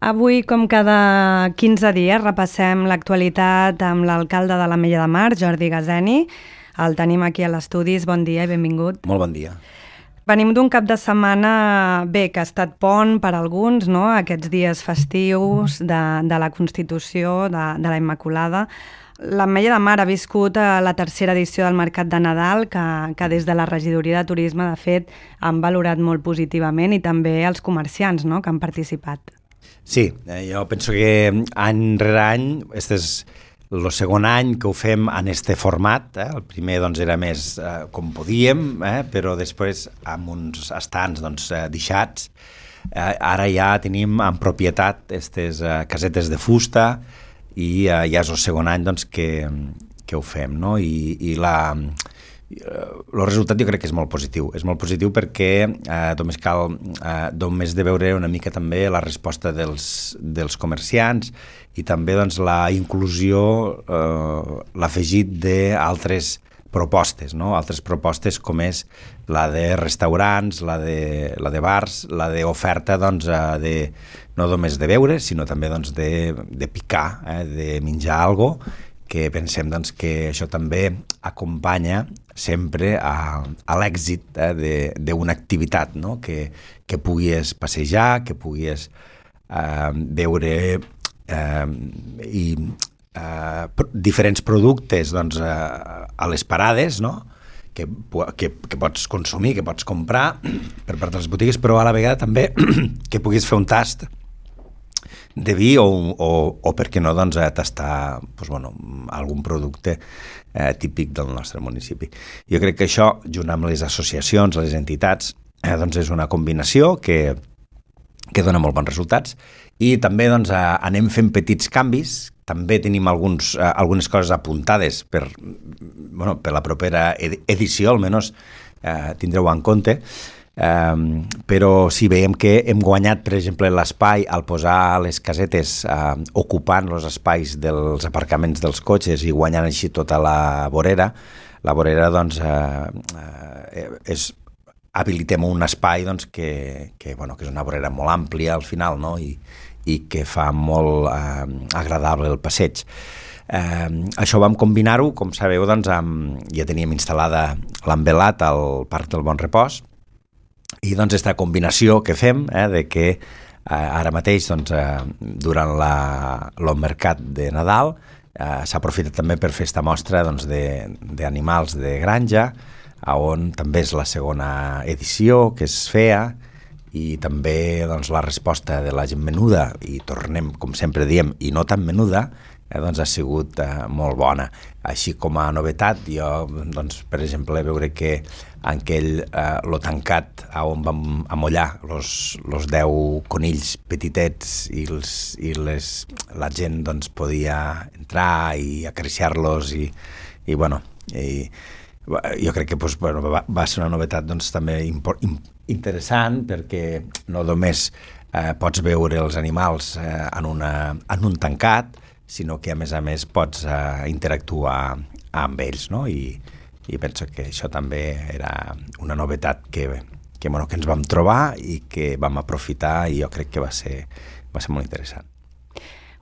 Avui, com cada 15 dies, repassem l'actualitat amb l'alcalde de l'Ametlla de Mar, Jordi Gazeni. El tenim aquí a l'estudis. Bon dia i benvingut. Molt bon dia. Venim d'un cap de setmana, bé, que ha estat pont per alguns, no? Aquests dies festius de la Constitució, de la Immaculada. L'Ametlla de Mar ha viscut la tercera edició del Mercat de Nadal, que des de la Regidoria de Turisme, de fet, han valorat molt positivament, i també els comerciants, no?, que han participat. Sí, jo penso que any rere any, este és el segon any que ho fem en este format. El primer doncs, era més com podíem, però després amb uns estants deixats. Ara ja tenim en propietat aquestes casetes de fusta i ja és el segon any doncs, que ho fem, no? I el resultat jo crec que és molt positiu. És molt positiu perquè només de veure una mica també la resposta dels comerciants i també doncs, la inclusió, l'afegit d'altres propostes, no? Altres propostes com és la de restaurants, la de bars, la d'oferta doncs, no només de beure, sinó també doncs, de picar, de menjar alguna cosa, que pensem doncs, que això també acompanya sempre a l'èxit d'una activitat, no? Que puguis passejar, que puguis veure diferents productes doncs, a les parades, no? que pots consumir, que pots comprar per part de les botigues, però a la vegada també que puguis fer un tast de vi o per què no, doncs, tastar algun producte típic del nostre municipi. Jo crec que això, junt amb les associacions, les entitats, doncs és una combinació que dona molt bons resultats i també doncs, anem fent petits canvis. També tenim algunes coses apuntades per la propera edició, almenys tindreu en compte. Però sí, veiem que hem guanyat, per exemple, l'espai al posar les casetes ocupant els espais dels aparcaments dels cotxes i guanyant així tota la vorera. La vorera, doncs, habilitem un espai doncs, que és una vorera molt àmplia al final, no? I que fa molt agradable el passeig. Això vam combinar-ho, com sabeu, doncs, ja teníem instal·lada l'envelat al Parc del Bon Repòs. I doncs aquesta combinació que fem, de que ara mateix doncs, durant el mercat de Nadal s'aprofita també per fer esta mostra doncs, d'animals de granja, on també és la segona edició que es feia i també doncs, la resposta de la gent menuda, i tornem, com sempre diem, i no tan menuda, doncs ha sigut molt bona. Així com a novetat, jo, doncs, per exemple, veure que en aquell lo tancat on vam amollar los 10 conills petitets i la gent doncs, podia entrar i acariciar-los i jo crec que doncs, va ser una novetat doncs, també interessant perquè no només pots veure els animals en un tancat, sinó que a més pots interactuar amb ells, no? I penso que això també era una novetat que ens vam trobar i que vam aprofitar i jo crec que va ser molt interessant.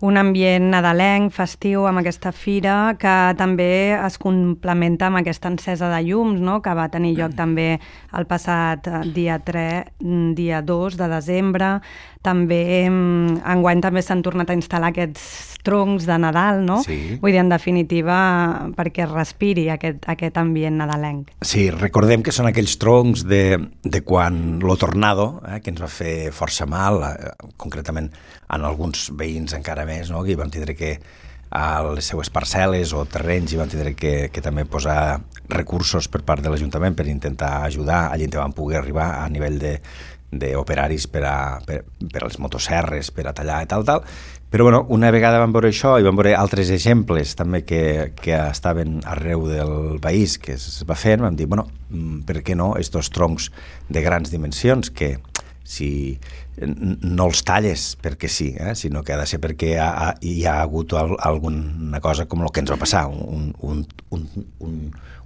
Un ambient nadalenc, festiu, amb aquesta fira, que també es complementa amb aquesta encesa de llums, no?, que va tenir lloc també el passat dia 2 de desembre. També enguany també s'han tornat a instal·lar aquests troncs de Nadal, no? Sí. Vull dir, en definitiva, perquè es respiri aquest ambient nadalenc. Sí, recordem que són aquells troncs de quan lo tornado, que ens va fer força mal, concretament en alguns veïns encara més, no? Que hi vam tindre que a les seues parcel·les o terrenys hi vam tindre que també posar recursos per part de l'Ajuntament per intentar ajudar. Allí vam poder arribar a nivell d'operaris per a les motosserres, per a tallar i tal. Però una vegada vam veure això i vam veure altres exemples també que estaven arreu del país que es va fent, vam dir, per què no, estos troncs de grans dimensions que no els talles perquè sí, sinó que ha de ser perquè hi ha hagut alguna cosa com el que ens va passar,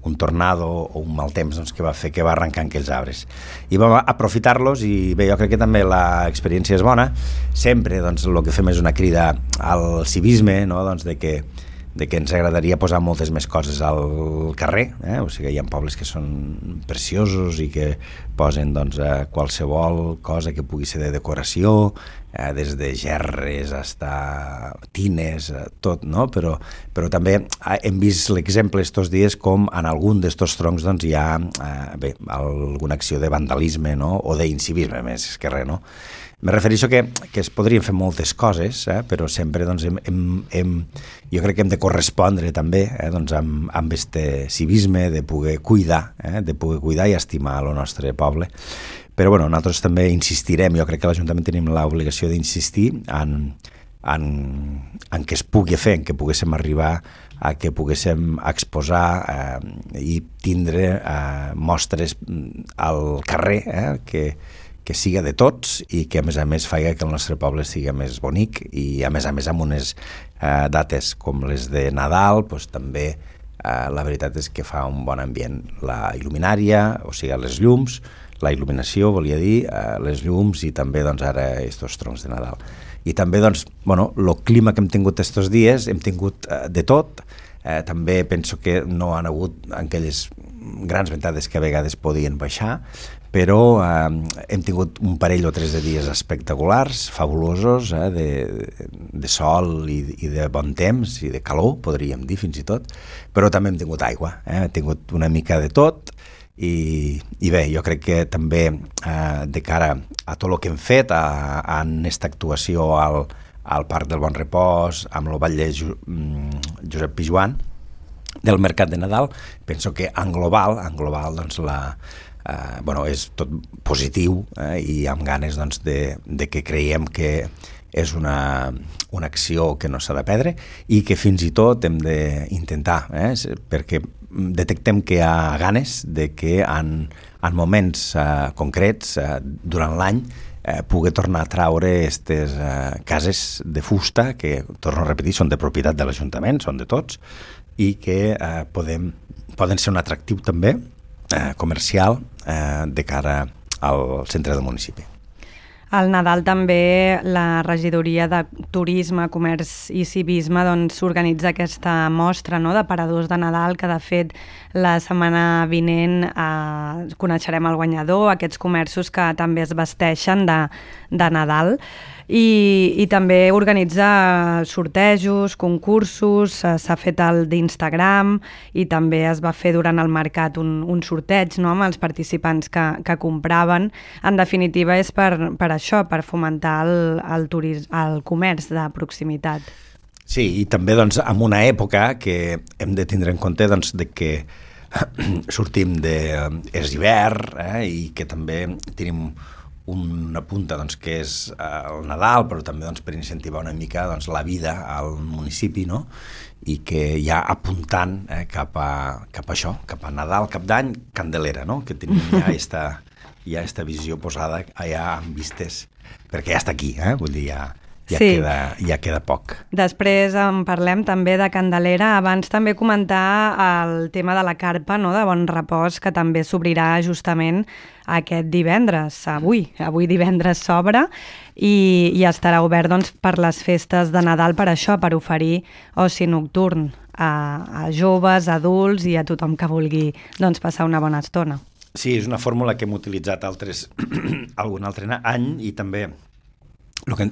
un tornado o un mal temps doncs, que va fer que va arrencar aquells arbres. I vam aprofitar-los i bé, jo crec que també l'experiència és bona. Sempre doncs, el que fem és una crida al civisme, no? Doncs, de que ens agradaria posar moltes més coses al carrer, o sigui, hi ha pobles que són preciosos i que posen doncs, qualsevol cosa que pugui ser de decoració, des de gerres a tines, tot, no? Però també hem vist l'exemple estos dies com en algun d'estos troncs doncs, hi ha alguna acció de vandalisme, no? O d'incivisme, més que res, no? Me refereixo que es podrien fer moltes coses, però sempre doncs, jo crec que hem de correspondre també doncs, amb este civisme de poder cuidar i estimar el nostre poble. Però bueno, nosaltres també insistirem, jo crec que l'Ajuntament tenim l'obligació d'insistir en què es pugui fer, en què poguéssim arribar a que poguéssim exposar i tindre mostres al carrer que siga de tots i que a més faci que el nostre poble sigui més bonic i a més amb unes dates com les de Nadal doncs, també la veritat és que fa un bon ambient la il·luminària, o sigui les llums, la il·luminació volia dir, les llums i també doncs, ara estos troncs de Nadal. I també doncs, el clima que hem tingut estos dies, hem tingut de tot, també penso que no han hagut aquelles grans ventades que a vegades podien baixar, però hem tingut un parell o tres de dies espectaculars, fabulosos, de sol i de bon temps i de calor, podríem dir fins i tot, però també hem tingut aigua, hem tingut una mica de tot i bé, jo crec que també de cara a tot el que hem fet en aquesta actuació al Parc del Bon Repòs, amb el Ball de Josep Pijuan, del Mercat de Nadal, penso que en global doncs és tot positiu i amb ganes doncs, de que creiem que és una acció que no s'ha de perdre i que fins i tot hem d'intentar, perquè detectem que hi ha ganes de que en moments concrets durant l'any poder tornar a traure aquestes cases de fusta que, torno a repetir, són de propietat de l'Ajuntament, són de tots, i que poden ser un atractiu també comercial de cara al centre del municipi. Al Nadal també la regidoria de Turisme, Comerç i Civisme doncs, organitza aquesta mostra, no?, de paradors de Nadal, que de fet la setmana vinent coneixerem el guanyador, aquests comerços que també es vesteixen de Nadal. I també organitza sortejos, concursos, s'ha fet el d'Instagram i també es va fer durant el mercat un sorteig, no?, amb els participants que compraven. En definitiva és per això, per fomentar el comerç de proximitat. Sí, i també doncs, en una època que hem de tindre en compte doncs, de que sortim és hivern i que també tenim una punta doncs, que és el Nadal, però també doncs, per incentivar una mica doncs, la vida al municipi, no? I que ja apuntant cap a això, cap a Nadal, cap d'any, Candelera, no? Que tenim ja esta visió posada allà amb vistes, perquè ja està aquí, vull dir, ja queda poc. Després en parlem també de Candelera. Abans també comentar el tema de la carpa, no?, de Bon Repòs, que també s'obrirà justament aquest divendres. Avui divendres s'obre i estarà obert doncs, per les festes de Nadal per això, per oferir oci nocturn a joves, adults i a tothom que vulgui doncs, passar una bona estona. Sí, és una fórmula que hem utilitzat algun altre any i també el que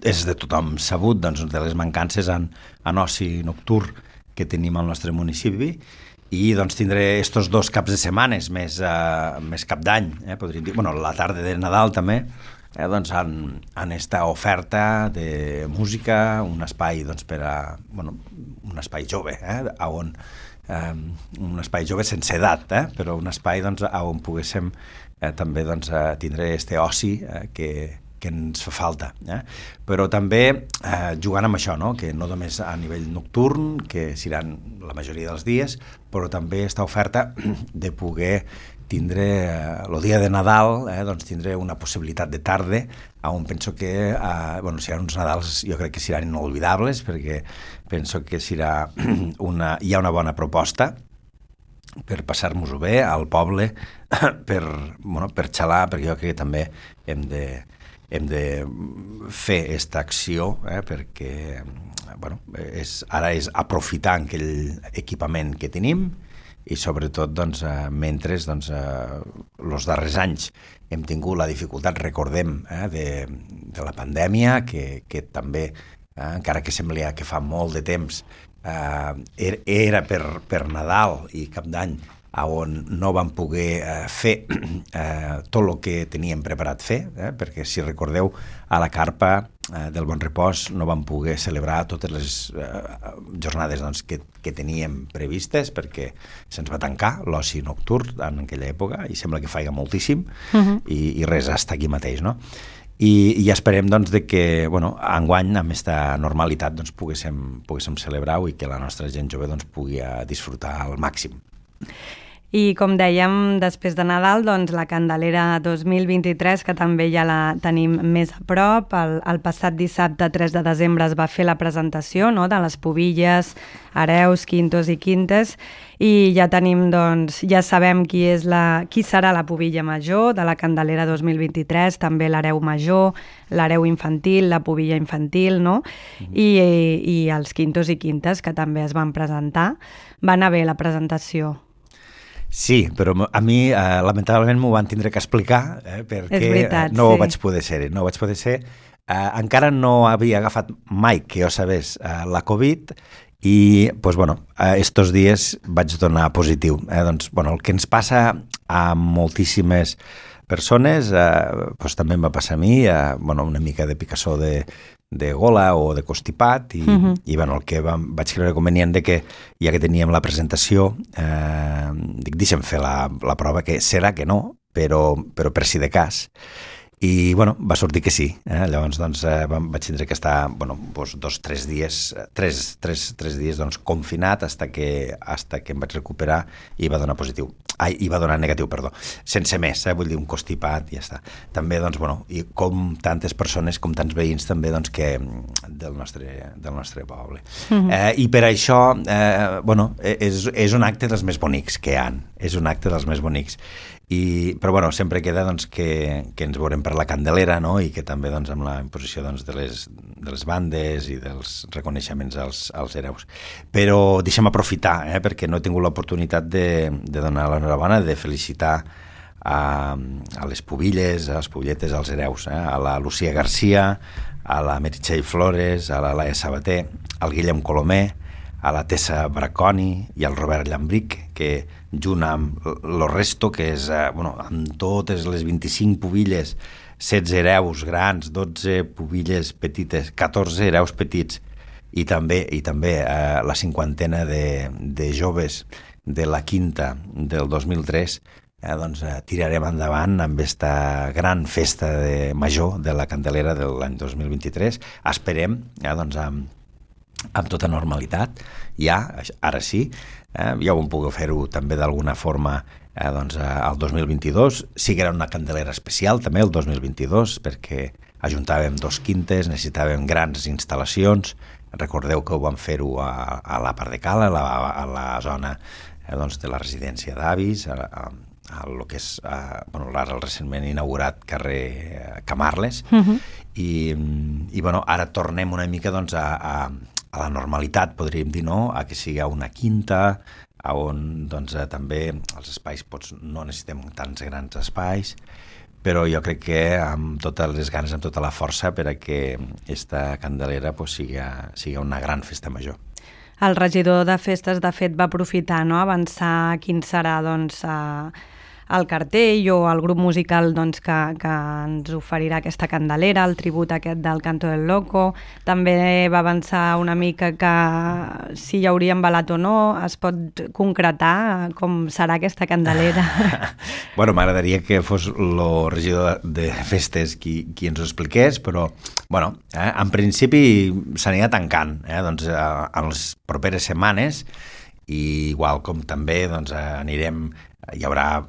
és de tothom sabut, doncs, de les mancances en oci nocturn que tenim al nostre municipi i doncs, tindré estos 2 caps de setmanes més cap d'any, podríem dir, la tarda de Nadal també, doncs, en esta oferta de música, un espai doncs, un espai jove, un espai jove sense edat, però un espai doncs, on poguéssim també doncs, tindre este oci que ens fa falta. Però també jugant amb això, no? Que no només a nivell nocturn, que seran la majoria dels dies, però també està oferta de poder tindre el dia de Nadal, doncs tindre una possibilitat de tarda on penso que seran uns Nadals, jo crec que seran inolvidables, perquè penso que hi ha una bona proposta per passar-nos-ho bé al poble, per xalar, perquè jo crec que també hem de fer aquesta acció, perquè ara és aprofitar aquell equipament que tenim i sobretot mentre els darrers anys hem tingut la dificultat, recordem, de la pandèmia, que també, encara que sembla que fa molt de temps, era per Nadal i Cap d'Any, on no vam poder fer tot el que teníem preparat fer, perquè si recordeu, a la carpa del Bon Repòs no vam poder celebrar totes les jornades que teníem previstes, perquè se'ns va tancar l'oci nocturn en aquella època i sembla que faiga moltíssim i res, està aquí mateix, no? I esperem de que enguany amb aquesta normalitat poguéssim celebrar-ho i que la nostra gent jove pugui disfrutar al màxim. I com dèiem, després de Nadal, la Candelera 2023, que també ja la tenim més a prop, el passat dissabte 3 de desembre es va fer la presentació de les pubilles, hereus, quintos i quintes, i ja tenim, ja sabem qui serà la pubilla major de la Candelera 2023, també l'hereu major, l'hereu infantil, la pubilla infantil, no? I els quintos i quintes, que també es van presentar. Va anar bé la presentació. Sí, però a mi lamentablement m'ho van tindre que explicar perquè no vaig poder ser-hi. No vaig poder ser. Encara no havia agafat mai que jo sabés la Covid i estos dies vaig donar positiu. El que ens passa a moltíssimes persones també em va passar a mi, una mica de picassó de gola o de constipat i el que vaig creure convenient que ja que teníem la presentació deixem fer la prova, que serà que no, però per si de cas. I va sortir que sí. Llavors vaig tindre que estar 3 dies confinat fins que em vaig recuperar i va donar positiu. I va donar negatiu, perdó. Sense més, vull dir, un constipat i ja està. També, i com tantes persones, com tants veïns també que del nostre poble. I per això, és un acte dels més bonics que hi ha. És un acte dels més bonics. Però sempre queda que ens veurem per la Candelera, no? I que també amb la imposició de les bandes i dels reconeixements als hereus. Però deixa'm aprofitar, perquè no he tingut l'oportunitat de donar l'enhorabona, de felicitar a les pubilles, a les pubilletes, als hereus, a la Lucía García, a la Meritxell Flores, a la Laia Sabater, al Guillem Colomer, a la Tessa Braconi i al Robert Llambric, que junt amb el resto, que és amb totes les 25 pubilles, 16 hereus grans, 12 pubilles petites, 14 hereus petits i també la cinquantena de joves de la quinta del 2003, tirarem endavant amb aquesta gran festa major de la Candelera de l'any 2023. Esperem amb tota normalitat, ara sí, ja ho vam poder fer-ho també d'alguna forma el 2022, sí que era una Candelera especial també el 2022, perquè ajuntàvem 2 quintes, necessitàvem grans instal·lacions, recordeu que ho vam fer-ho a la part de Cala, a la zona de la residència d'avis, a el que és el recentment inaugurat carrer Camarles, i ara tornem una mica a la normalitat, podríem dir, no? A que sigui una quinta, on també els espais no necessitem tants grans espais, però jo crec que amb totes les ganes, amb tota la força, per a que aquesta Candelera sigui una gran festa major. El regidor de festes, de fet, va aprofitar, no?, avançar quin serà el cartell o el grup musical doncs, que ens oferirà aquesta Candelera, el tribut aquest del Canto del Loco. També va avançar una mica que si hi hauria embalat o no, es pot concretar com serà aquesta Candelera. Bueno, m'agradaria que fos el regidor de festes qui ens ho expliqués, però bueno, en principi s'anirà tancant doncs, en les properes setmanes, i igual com també doncs, anirem, hi haurà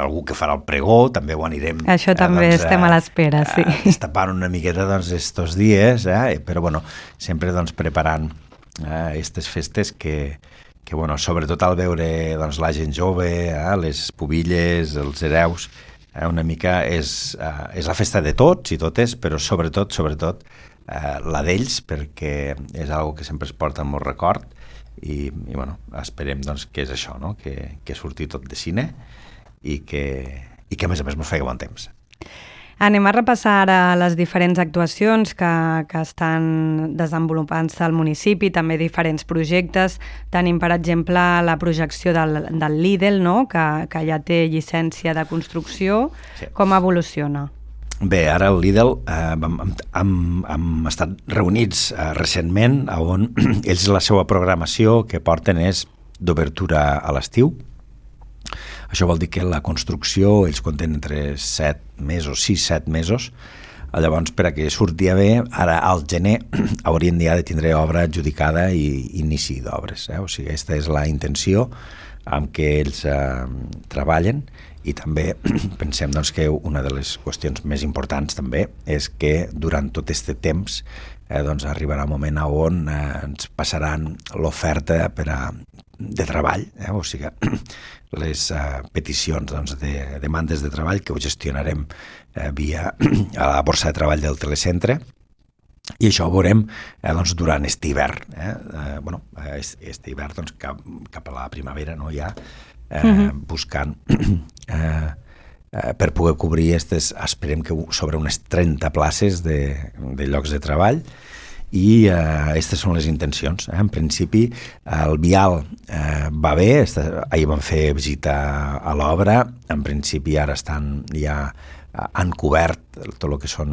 algú que farà el pregó, també ho anirem... Això també doncs, estem a l'espera, sí. Destapant una miqueta doncs, estos dies, però bueno, sempre doncs, preparant aquestes festes que bueno, sobretot al veure doncs, la gent jove, les pubilles, els hereus, una mica és la festa de tots i totes, però sobretot la d'ells, perquè és algo que sempre es porta en molt record, i bueno, esperem doncs, que és això, no? que surti tot de cine i que a més mos faci bon temps. Anem a repassar ara les diferents actuacions que estan desenvolupant-se al municipi, també diferents projectes. Tenim, per exemple, la projecció del Lidl, no? que ja té llicència de construcció. Sí. Com evoluciona? Bé, ara el Lidl hem estat reunits recentment, on ells la seva programació que porten és d'obertura a l'estiu. Això vol dir que la construcció ells compten entre 7 mesos, 6-7 mesos. Llavors, per a que surti bé, ara al gener haurien ja de tindre obra adjudicada i inici d'obres. O sigui, aquesta és la intenció amb què ells treballen. I també pensem doncs, que una de les qüestions més importants també és que durant tot aquest temps doncs, arribarà un moment on ens passaran l'oferta de treball, o sigui, les peticions doncs, de demandes de treball que ho gestionarem via a la borsa de treball del telecentre, i això ho veurem doncs, durant aquest hivern. Bueno, aquest hivern doncs, cap a la primavera, no, ja buscant per poder cobrir esperem que sobre unes 30 places de llocs de treball, i aquestes són les intencions. En principi el vial va bé, ahir vam fer visita a l'obra, en principi ara han cobert tot el que són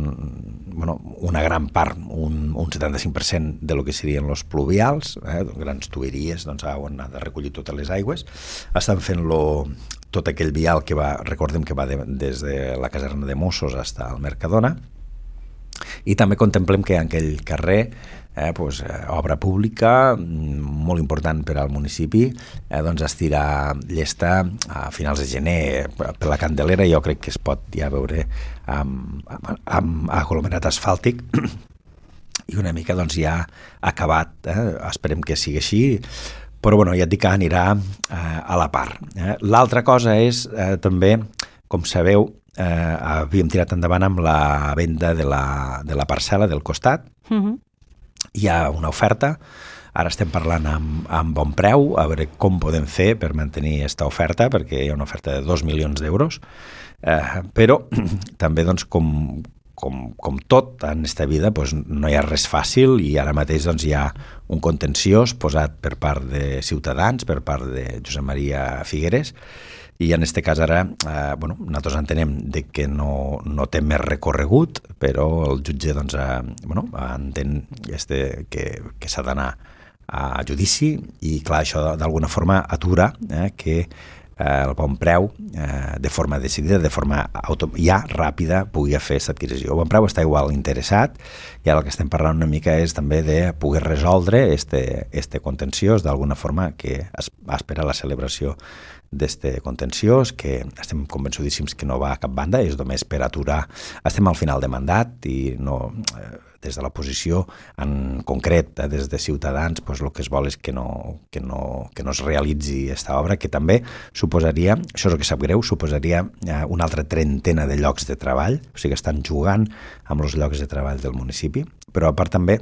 una gran part, un 75% de lo que serien els pluvials, grans tuberies on ha de recollir totes les aigües. Estan fent tot aquell vial que recordem que va des de la caserna de Mossos fins al Mercadona, i també contemplem que en aquell carrer obra pública molt important per al municipi, doncs estirà llesta a finals de gener per la Candelera. Jo crec que es pot ja veure amb aglomerat asfàltic i una mica doncs ja acabat, esperem que sigui així, però bueno, ja et dic que anirà a la part. L'altra cosa és també, com sabeu, havíem tirat endavant amb la venda de la parcel·la del costat. Hi ha una oferta, ara estem parlant amb bon preu, a veure com podem fer per mantenir aquesta oferta, perquè hi ha una oferta de 2 milions d'euros, però també doncs, com tot en aquesta vida no hi ha res fàcil, i ara mateix doncs, hi ha un contenciós posat per part de Ciutadans, per part de Josep Maria Figueres, i en aquest cas ara nosaltres entenem que no té més recorregut, però el jutge doncs, entén que s'ha d'anar a judici, i clar, això d'alguna forma atura que el bon preu de forma decidida, de forma ja ràpida, pugui fer aquesta adquisició. El bon preu està igual interessat, i ara el que estem parlant una mica és també de poder resoldre este contenciós d'alguna forma, que espera la celebració d'este contenciós, que estem convençudíssims que no va a cap banda, és només per aturar. Estem al final de mandat i no, des de l'oposició, en concret, des de Ciutadans, el que es vol és que no es realitzi aquesta obra, que també suposaria, això és el que sap greu, suposaria una altra trentena de llocs de treball, o sigui, estan jugant amb els llocs de treball del municipi, però a part també,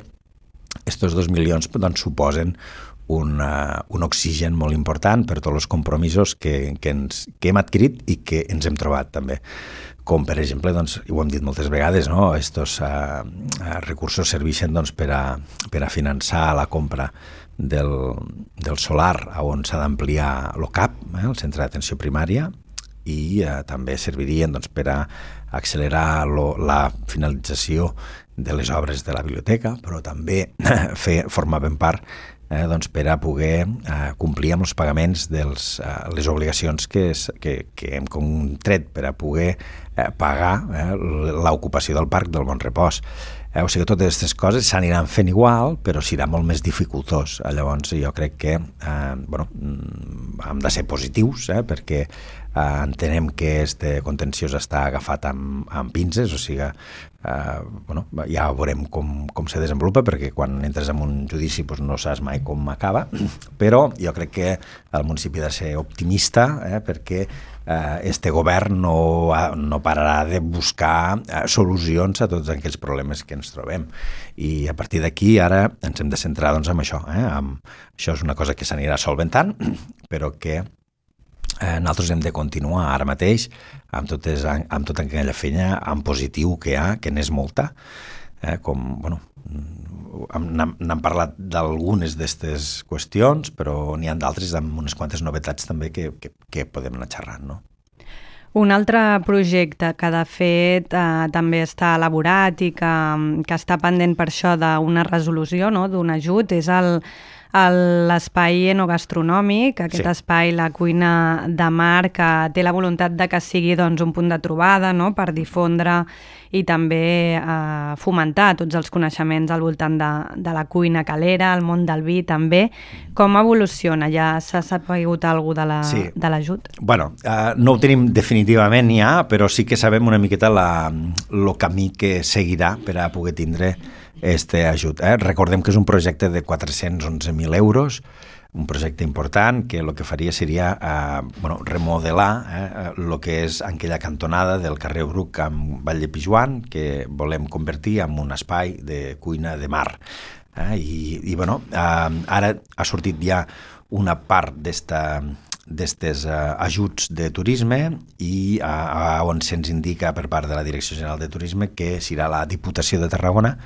aquests 2 milions doncs, suposen un oxigen molt important per tots els compromisos que hem adquirit i que ens hem trobat també. Com, per exemple, doncs, ho hem dit moltes vegades, no? Estos recursos serveixen doncs, per a finançar la compra del solar on s'ha d'ampliar el CAP, el Centre d'Atenció Primària, i també servirien doncs, per a accelerar la finalització de les obres de la biblioteca, però també formaven part doncs per a poder complir amb els pagaments de les obligacions que hem contret per a poder pagar l'ocupació del Parc del Bon Repòs. O sigui que totes aquestes coses s'aniran fent igual, però serà molt més dificultós. Llavors jo crec que hem de ser positius, perquè entenem que este contenciós està agafat amb pinces, o sigui ja veurem com se desenvolupa, perquè quan entres en un judici no saps mai com acaba, però jo crec que el municipi ha de ser optimista, perquè este govern no pararà de buscar solucions a tots aquells problemes que ens trobem, i a partir d'aquí ara ens hem de centrar doncs, en això. Això és una cosa que s'anirà solventant, però que nosaltres hem de continuar ara mateix amb tota aquella feina en positiu que hi ha, que n'és molta, n'hem parlat d'algunes d'aquestes qüestions, però n'hi ha d'altres amb unes quantes novetats també que podem anar xerrant, no? Un altre projecte que de fet també està elaborat i que està pendent per això d'una resolució, no? D'un ajut, és l'espai enogastronòmic, aquest espai, la cuina de mar, que té la voluntat de que sigui doncs, un punt de trobada, no? Per difondre i també fomentar tots els coneixements al voltant de la cuina calera, el món del vi també. Com evoluciona? Ja s'ha sapigut alguna cosa de l'ajut? Bueno, no ho tenim definitivament ja, però sí que sabem una miqueta el camí que seguirà per a poder tindre este ajut. Recordem que és un projecte de 411.000 euros, un projecte important que el que faria seria remodelar el que és aquella cantonada del carrer Bruc amb Vall de Pijuan, que volem convertir en un espai de cuina de mar. Ara ha sortit ja una part d'estes ajuts de turisme i on se'ns indica per part de la Direcció General de Turisme que serà la Diputació de Tarragona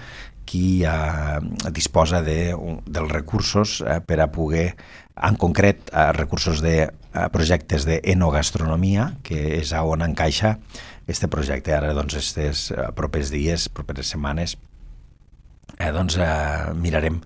qui disposa dels recursos per a poder, en concret, recursos de projectes d'enogastronomia, que és on encaixa este projecte. Ara, doncs, estes propers dies, properes setmanes, mirarem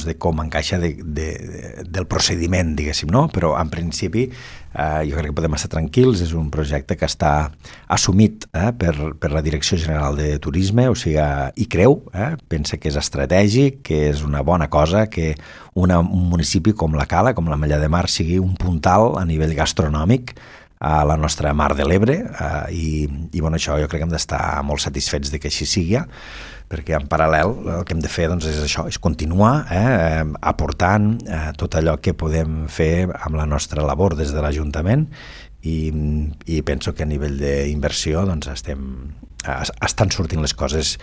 de com encaixa del procediment, diguéssim, no? Però en principi jo crec que podem estar tranquils, és un projecte que està assumit per la Direcció General de Turisme, o sigui, hi creu, pensa que és estratègic, que és una bona cosa, que un municipi com la Cala, com la Mella de Mar, sigui un puntal a nivell gastronòmic a la nostra Mar de l'Ebre, i això jo crec que hem d'estar molt satisfets de que així sigui, perquè en paral·lel el que hem de fer és això, és continuar aportant tot allò que podem fer amb la nostra labor des de l'Ajuntament, i penso que a nivell d'inversió estan sortint les coses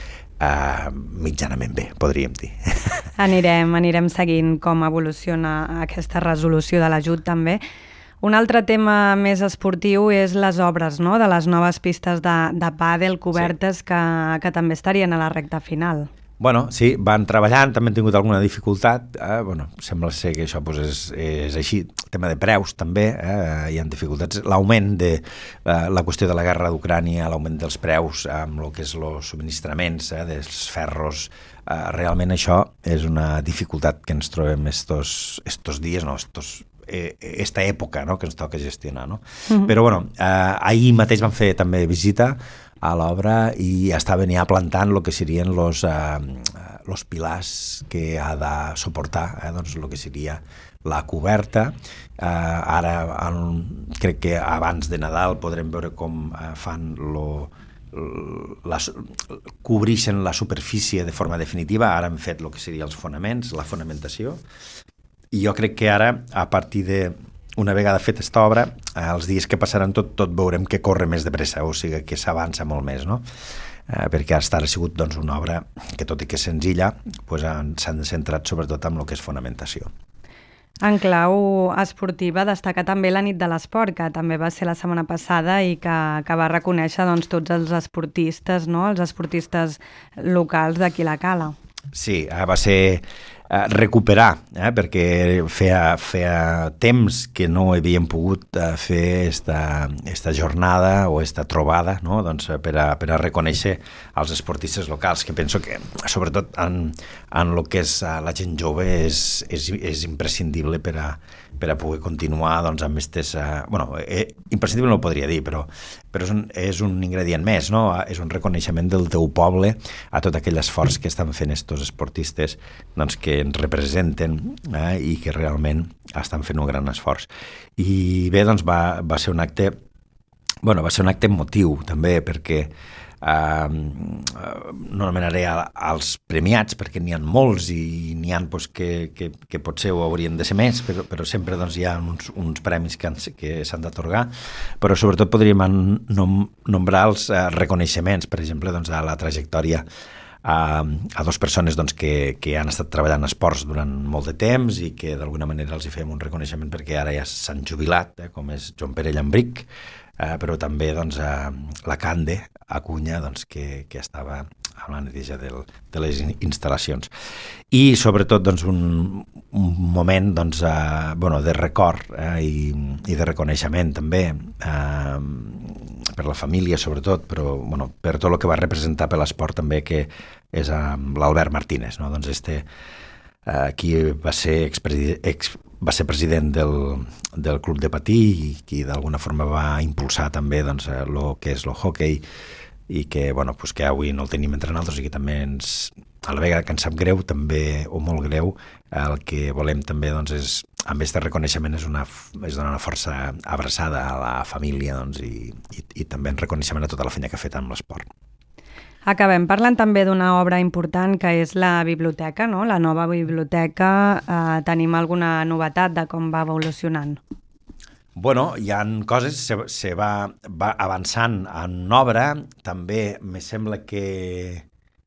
mitjanament bé, podríem dir. Anirem seguint com evoluciona aquesta resolució de l'ajut també. Un altre tema més esportiu és les obres, no?, de les noves pistes de pàdel cobertes que també estarien a la recta final. Bueno, sí, van treballant, també han tingut alguna dificultat, sembla ser que això és així, tema de preus també, hi ha dificultats, l'augment de la qüestió de la guerra d'Ucrània, l'augment dels preus amb el que és els subministraments dels ferros, realment això és una dificultat que ens trobem estos dies, esta època, no?, que ens toca gestionar, no? Però ahir mateix vam fer també visita a l'obra i estaven ja plantant el que serien los pilars que ha de suportar el que seria la coberta. Ara crec que abans de Nadal podrem veure com fan cobreixen la superfície de forma definitiva. Ara hem fet el que serien els fonaments, la fonamentació, i jo crec que ara, a partir d'una vegada feta aquesta obra, els dies que passaran tot veurem que corre més de pressa, o sigui que s'avança molt més, no? Perquè ara ha sigut una obra que, tot i que és senzilla, s'han centrat sobretot en el que és fonamentació. En clau esportiva destaca també la nit de l'esport, que també va ser la setmana passada i que va reconèixer tots els esportistes, no?, els esportistes locals d'aquí la Cala. Sí, va ser recuperar, perquè feia temps que no havíem pogut fer esta jornada o esta trobada, no? Doncs per a reconèixer els esportistes locals, que penso que sobretot en el que és la gent jove és imprescindible per a poder continuar doncs, amb aquestes... imprescindible no ho podria dir, però és un ingredient més, no? És un reconeixement del teu poble a tot aquell esforç que estan fent estos esportistes doncs, que ens representen i que realment estan fent un gran esforç. I bé, doncs va ser un acte emotiu també, perquè no anomenaré als premiats perquè n'hi ha molts i n'hi ha doncs, que potser ho haurien de ser més, però sempre doncs, hi ha uns premis que s'han d'atorgar, però sobretot podríem nombrar els reconeixements, per exemple, doncs, a la trajectòria a dues persones doncs, que han estat treballant a esports durant molt de temps i que d'alguna manera els hi fem un reconeixement perquè ara ja s'han jubilat, com és Joan Pere Llambric, però també doncs, la Cande Acuña, doncs, que estava a la neteja de les instal·lacions. I sobretot doncs, un moment doncs, de record i de reconeixement també per la família sobretot, però per tot el que va representar per l'esport també, que és l'Albert Martínez, no? Doncs qui va ser president del club de patí i qui d'alguna forma va impulsar també doncs, el que és el hockey i que, que avui no el tenim entre nosaltres i que també a la vegada que ens sap greu també, o molt greu, el que volem també doncs, és, amb aquest reconeixement és donar una força abraçada a la família doncs, i també en reconeixement a tota la feina que ha fet amb l'esport. Acabem parlant també d'una obra important que és la biblioteca, no? La nova biblioteca. Tenim alguna novetat de com va evolucionant? Hi ha coses, se va avançant en obra, també me sembla que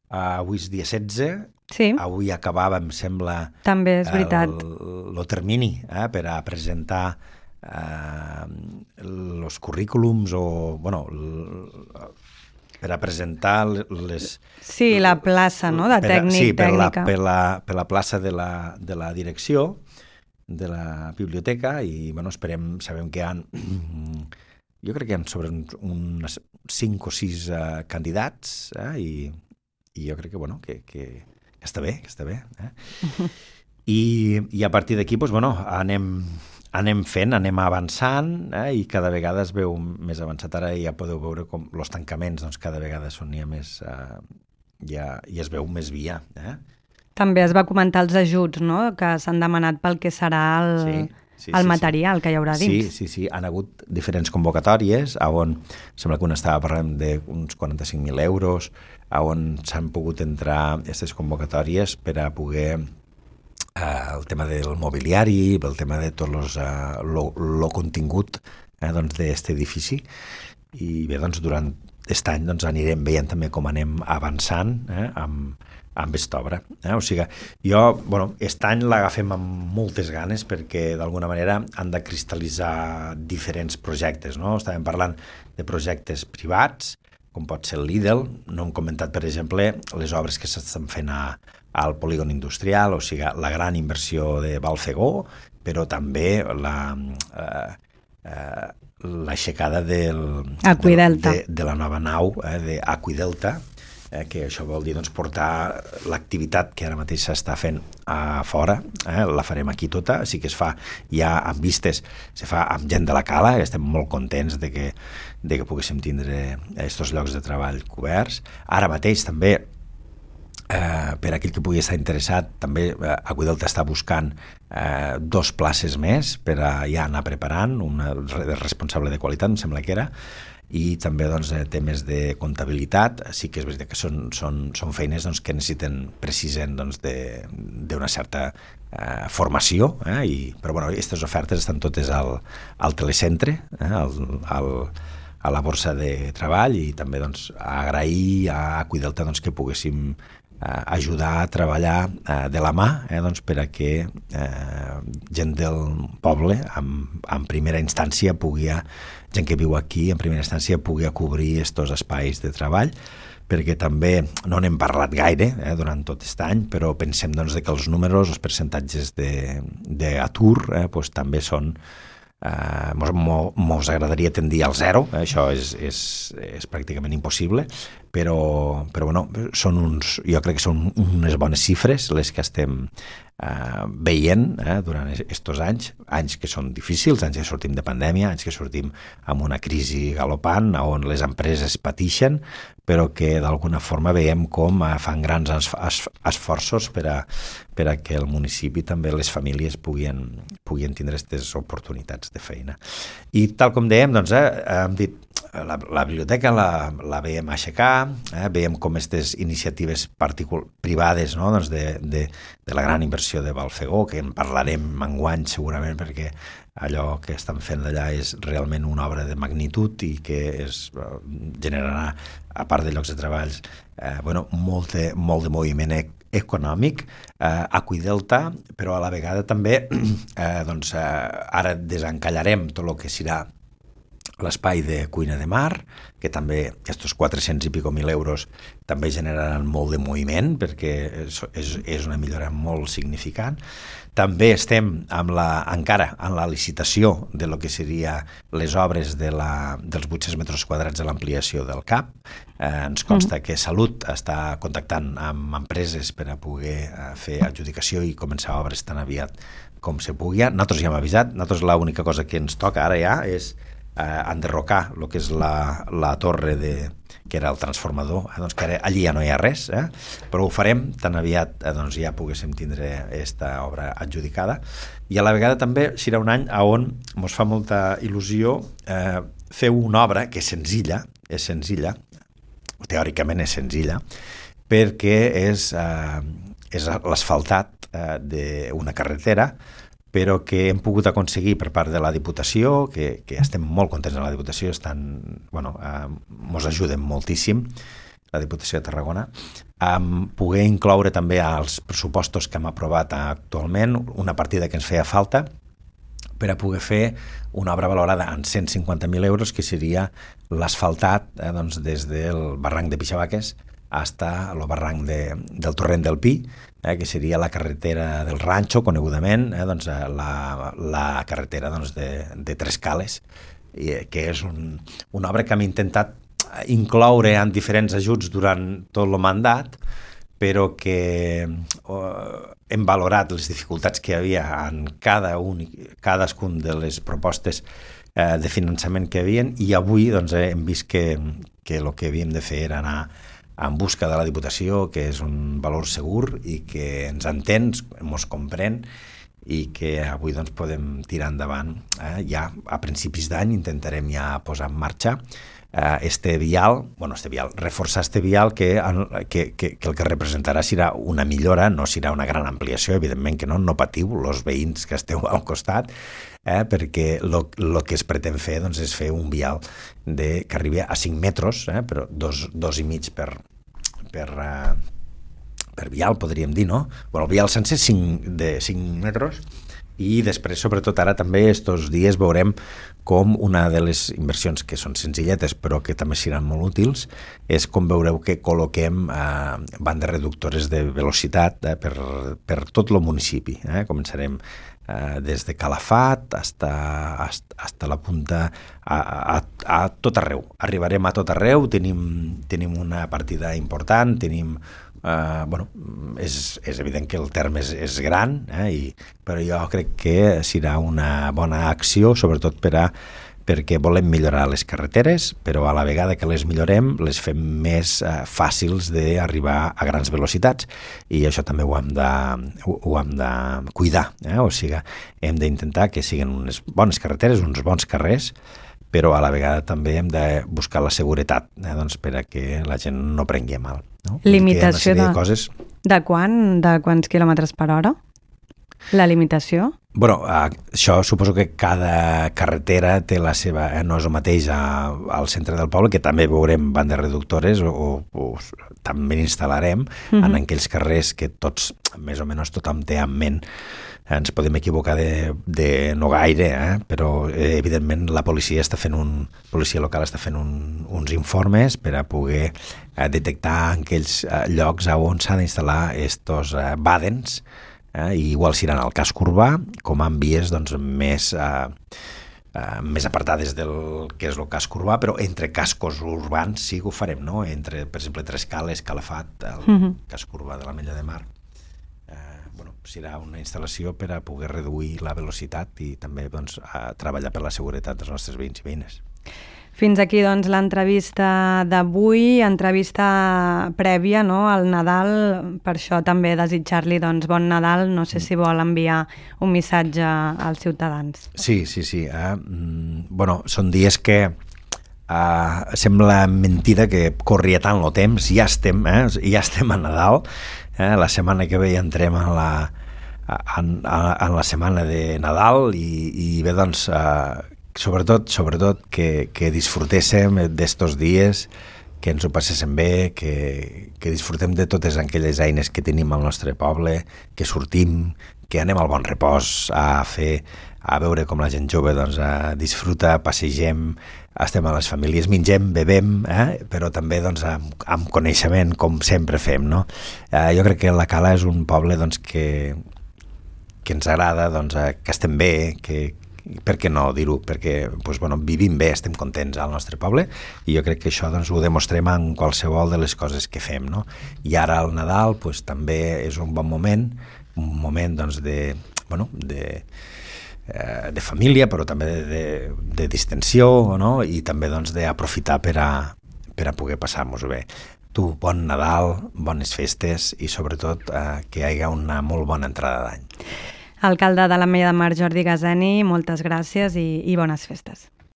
avui és dia 16, sí. Avui acabava, em sembla, també és veritat. El termini per a presentar els currículums per a presentar les... Sí, la plaça, no?, de tècnica. Per la plaça de la direcció de la biblioteca i, sabem que hi ha... Jo crec que hi ha sobre uns 5 o 6 candidats i jo crec que està bé, I a partir d'aquí, anem fent, anem avançant i cada vegada es veu més avançat. Ara ja podeu veure com els tancaments cada vegada són ja més... ja es veu més via. També es va comentar els ajuts, no?, que s'han demanat pel que serà el material que hi haurà dins. Sí. Han hagut diferents convocatòries on sembla que una estava parlant d'uns 45.000 euros, on s'han pogut entrar aquestes convocatòries per a poder... el tema del mobiliari, el tema de tot el contingut d'aquest edifici. I bé, durant aquest any anirem veient també com anem avançant amb aquesta obra. O sigui, aquest any l'agafem amb moltes ganes perquè d'alguna manera han de cristal·litzar diferents projectes, no? Estàvem parlant de projectes privats, com pot ser el Lidl. No hem comentat, per exemple, les obres que s'estan fent al polígon industrial, o sigui, la gran inversió de Balfegó, però també l'aixecada de la nova nau d'Aqüidelta, que això vol dir portar l'activitat que ara mateix s'està fent a fora, la farem aquí tota, així que es fa ja amb vistes, se fa amb gent de la cala, i estem molt contents de que poguéssim tindre aquests llocs de treball coberts. Ara mateix també, per aquell que pugui estar interessat, també Aquadelta està buscant 2 places més per a ja anar preparant, una de responsable de qualitat, em sembla que era, i també temes de comptabilitat. Sí que és veritat que són feines que precisen d'una certa formació, però aquestes ofertes estan totes al telecentre, a la borsa de treball, i també agrair a Aquadelta que poguéssim ajudar a treballar de la mà per a que gent del poble en primera instància gent que viu aquí en primera instància pugui cobrir aquests espais de treball, perquè també no n'hem parlat gaire durant tot aquest any, però pensem doncs, que els números, els percentatges d'atur doncs, també són mos agradaria tendir al zero, això és pràcticament impossible, però bueno, jo crec que són unes bones xifres les que estem veient durant aquests anys que són difícils, anys que sortim de pandèmia, anys que sortim amb una crisi galopant on les empreses pateixen, però que d'alguna forma veiem com fan grans esforços per a que el municipi, també les famílies puguin tindre aquestes oportunitats de feina. I tal com dèiem, doncs, hem dit la biblioteca la veiem aixecar, veiem com aquestes iniciatives privades, no? Doncs de la gran inversió de Balfegó, que en parlarem enguany segurament, perquè allò que estan fent d'allà és realment una obra de magnitud i que generarà, a part de llocs de treballs, molt de moviment econòmic, Aqüidelta, però a la vegada també ara desencallarem tot el que serà l'espai de cuina de mar, que també aquests 400 i pico mil euros també generaran molt de moviment, perquè és una millora molt significant. També estem encara en la licitació de lo que seria les obres dels 800 metres quadrats de l'ampliació del CAP. Ens consta que Salut està contactant amb empreses per a poder fer adjudicació i començar obres tan aviat com se pugui. Nosaltres ja hem avisat, l'única cosa que ens toca ara ja és enderrocar el que és la torre que era el transformador, doncs que ara allí ja no hi ha res, però ho farem tan aviat ja poguéssim tindre aquesta obra adjudicada. I a la vegada també serà un any on ens fa molta il·lusió fer una obra que és senzilla, teòricament és senzilla, perquè és l'asfaltat d'una carretera, però que hem pogut aconseguir per part de la Diputació, que estem molt contents de la Diputació, ens ajuden moltíssim, la Diputació de Tarragona, poder incloure també als pressupostos que hem aprovat actualment una partida que ens feia falta per a poder fer una obra valorada en 150.000 euros, que seria l'asfaltat des del barranc de Pixabaques fins al barranc del Torrent del Pi, que seria la carretera del Ranxo, conegudament, la carretera de Tres Cales, que és una obra que hem intentat incloure en diferents ajuts durant tot el mandat, però que hem valorat les dificultats que hi havia en cadascun de les propostes de finançament que hi havia, i avui hem vist que el que havíem de fer era anar en busca de la Diputació, que és un valor segur i que ens entén, ens comprèn, i que avui podem tirar endavant. Ja a principis d'any intentarem ja posar en marxa reforçar este vial que el que representarà serà una millora, no serà una gran ampliació, evidentment que no patiu els veïns que esteu al costat, perquè el que es pretén fer és fer un vial que arribi a 5 metres, però 2,5 per vial, podríem dir, no? El vial sencer de 5 metres, i després, sobretot ara també, estos dies veurem com una de les inversions que són senzilletes però que també seran molt útils és com veureu que col·loquem bandes reductores de velocitat per tot el municipi. Començarem des de Calafat fins a la punta, a tot arreu. Arribarem a tot arreu, tenim una partida important, és evident que el terme és gran, però jo crec que serà una bona acció, sobretot perquè volem millorar les carreteres, però a la vegada que les millorem les fem més fàcils d'arribar a grans velocitats, i això també ho hem de cuidar, o sigui, hem d'intentar que siguin unes bones carreteres, uns bons carrers, però a la vegada també hem de buscar la seguretat, per a que la gent no prengui a mal. Limitació de quants quilòmetres per hora? La limitació? Bueno, això suposo que cada carretera té la seva... no és el mateix al centre del poble, que també veurem bandes reductores o també instal·larem en aquells carrers que tots, més o menys tothom té en ment. Ens podem equivocar de no gaire, però evidentment la policia local està fent uns informes per a poder detectar en aquells llocs on s'han d'instal·lar estos bàdens, i igual si al casc urbà com en vies doncs, més apartades del que és el casc urbà, però entre cascos urbans sí que ho farem, no? Entre, per exemple, Trescales, Calafat, el casc urbà de l'Ametlla de Mar. Serà una instal·lació per a poder reduir la velocitat i també doncs, treballar per la seguretat dels nostres veïns i veïnes. Fins aquí doncs, l'entrevista d'avui, entrevista prèvia, no?, al Nadal. Per això també desitjar-li doncs, bon Nadal. No sé si vol enviar un missatge als ciutadans. Sí. Bueno, són dies que sembla mentida que corria tant el temps. Ja estem a Nadal. La setmana que ve ja entrem en la setmana de Nadal i bé, doncs, sobretot que disfrutéssim d'estos dies, que ens ho passéssim bé, que disfrutem de totes aquelles eines que tenim al nostre poble, que sortim, que anem al Bon Repòs a veure com la gent jove doncs, disfruta, passegem, estem a les famílies, mengem, bebem, però també doncs, amb coneixement, com sempre fem. No? Jo crec que la Cala és un poble doncs, que ens agrada, doncs, que estem bé, per què no dir-ho? Perquè doncs, bueno, vivim bé, estem contents al nostre poble i jo crec que això doncs, ho demostrem en qualsevol de les coses que fem. No? I ara el Nadal doncs, també és un bon moment, doncs, de família, però també de distensió, no? I també doncs, d'aprofitar per a poder passar-nos-ho bé. Tu, bon Nadal, bones festes i sobretot que hi hagi una molt bona entrada d'any. Alcalde de l'Ametlla de Mar, Jordi Gazeni, moltes gràcies i bones festes.